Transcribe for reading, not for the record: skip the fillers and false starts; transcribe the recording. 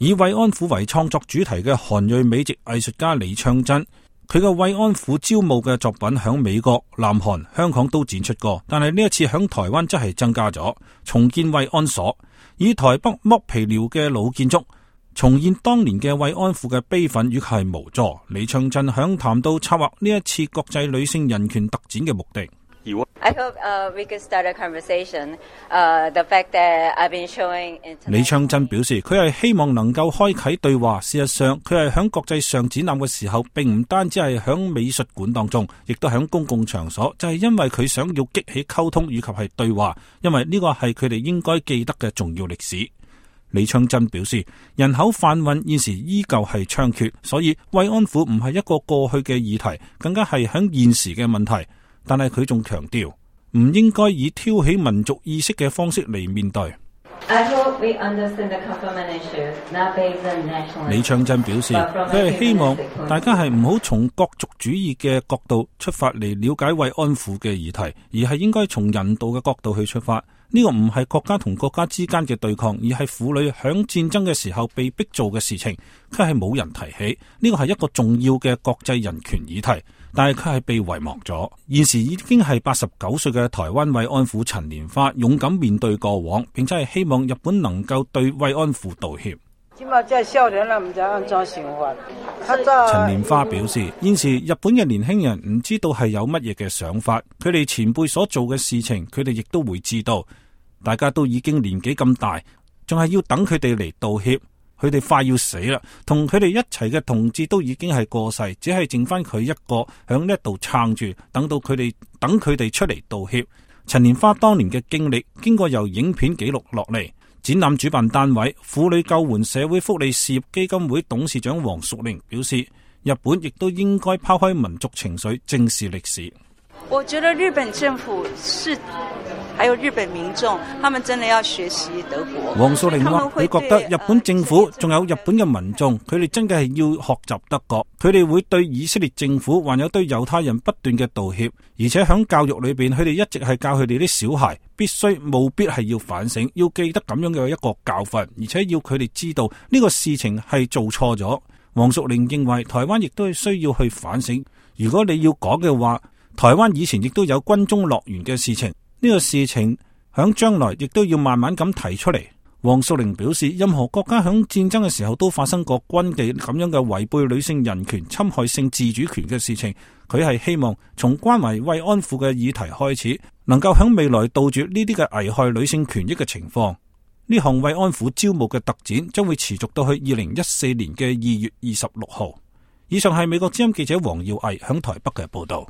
以慰安婦為創作主題嘅韓裔美籍藝術家李昌真，佢嘅慰安婦招募嘅作品響美國、南韓、香港都展出過，但係呢一次響台灣則係增加咗，重建慰安所，以台北剝皮寮嘅老建築，重現當年嘅慰安婦嘅悲憤與係無助。李昌真響談到策劃呢一次國際女性人權特展嘅目的。I hope we could start a conversation. The fact that I've been showing. 李昌真表示，佢係希望能夠開啟對話。事實上，佢係響國際上展覽嘅時候，並唔單止係響美術館當中，亦都響公共場所，就係因為佢想要激起溝通以及係對話，因為呢個係佢哋應該記得嘅重要歷史。李昌真表示，人口販運現時依舊係猖獗，所以慰安婦唔係一個過去嘅議題，更加係響現時嘅問題。但係佢仲強調，唔應該以挑起民族意識嘅方式嚟面對。李昌真表示，佢係希望大家係唔好從國族主義嘅角度出發嚟了解慰安婦嘅議題，而係應該從人道嘅角度去出發。呢個唔係國家同國家之間嘅對抗，而係婦女響戰爭嘅時候被逼做嘅事情，佢係冇人提起。呢個係一個重要嘅國際人權議題，但係佢係被遺忘咗。現時已經係89歲嘅台灣慰安婦陳蓮花勇敢面對過往，並且係希望日本能夠對慰安婦道歉。陳蓮花表示，現時日本嘅年輕人唔知道係有乜嘢嘅想法，佢哋前輩所做嘅事情，佢哋亦都會知道。大家都已經年紀咁大，仲係要等佢哋嚟道歉。佢哋快要死啦，同佢哋一齊嘅同志都已經係過世，只係剩翻佢一個響呢度撐住，等佢哋出嚟道歉。陳蓮花當年嘅經歷，經過由影片記錄落嚟。展覽主辦單位婦女救援社會福利事業基金會董事長黃淑玲表示，日本亦都應該拋開民族情緒，正視歷史。我覺得日本政府還有日本民眾，他們真的要學習德國。黃淑玲話，佢覺得日本政府仲有日本嘅民眾，佢哋真嘅係要學習德國，佢哋會對以色列政府還有對猶太人不斷嘅道歉，而且響教育裏邊，佢哋一直係教佢哋啲小孩必須務必係要反省，要記得咁樣嘅一個教訓，而且要佢哋知道呢個事情係做錯咗。黃淑玲認為台灣亦都係需要去反省。如果你要講嘅話，台灣以前亦都有軍中樂園嘅事情，呢個事情響將來亦都要慢慢咁提出嚟。黃淑玲表示，任何國家響戰爭嘅時候都發生過軍紀咁樣嘅違背女性人權、侵害性自主權嘅事情。佢係希望從關懷慰安婦嘅議題開始，能夠響未來杜絕呢啲嘅危害女性權益嘅情況。呢項慰安婦招募嘅特展將會持續到去2014年嘅2月26號。以上係美國之音記者黃耀毅響台北嘅報道。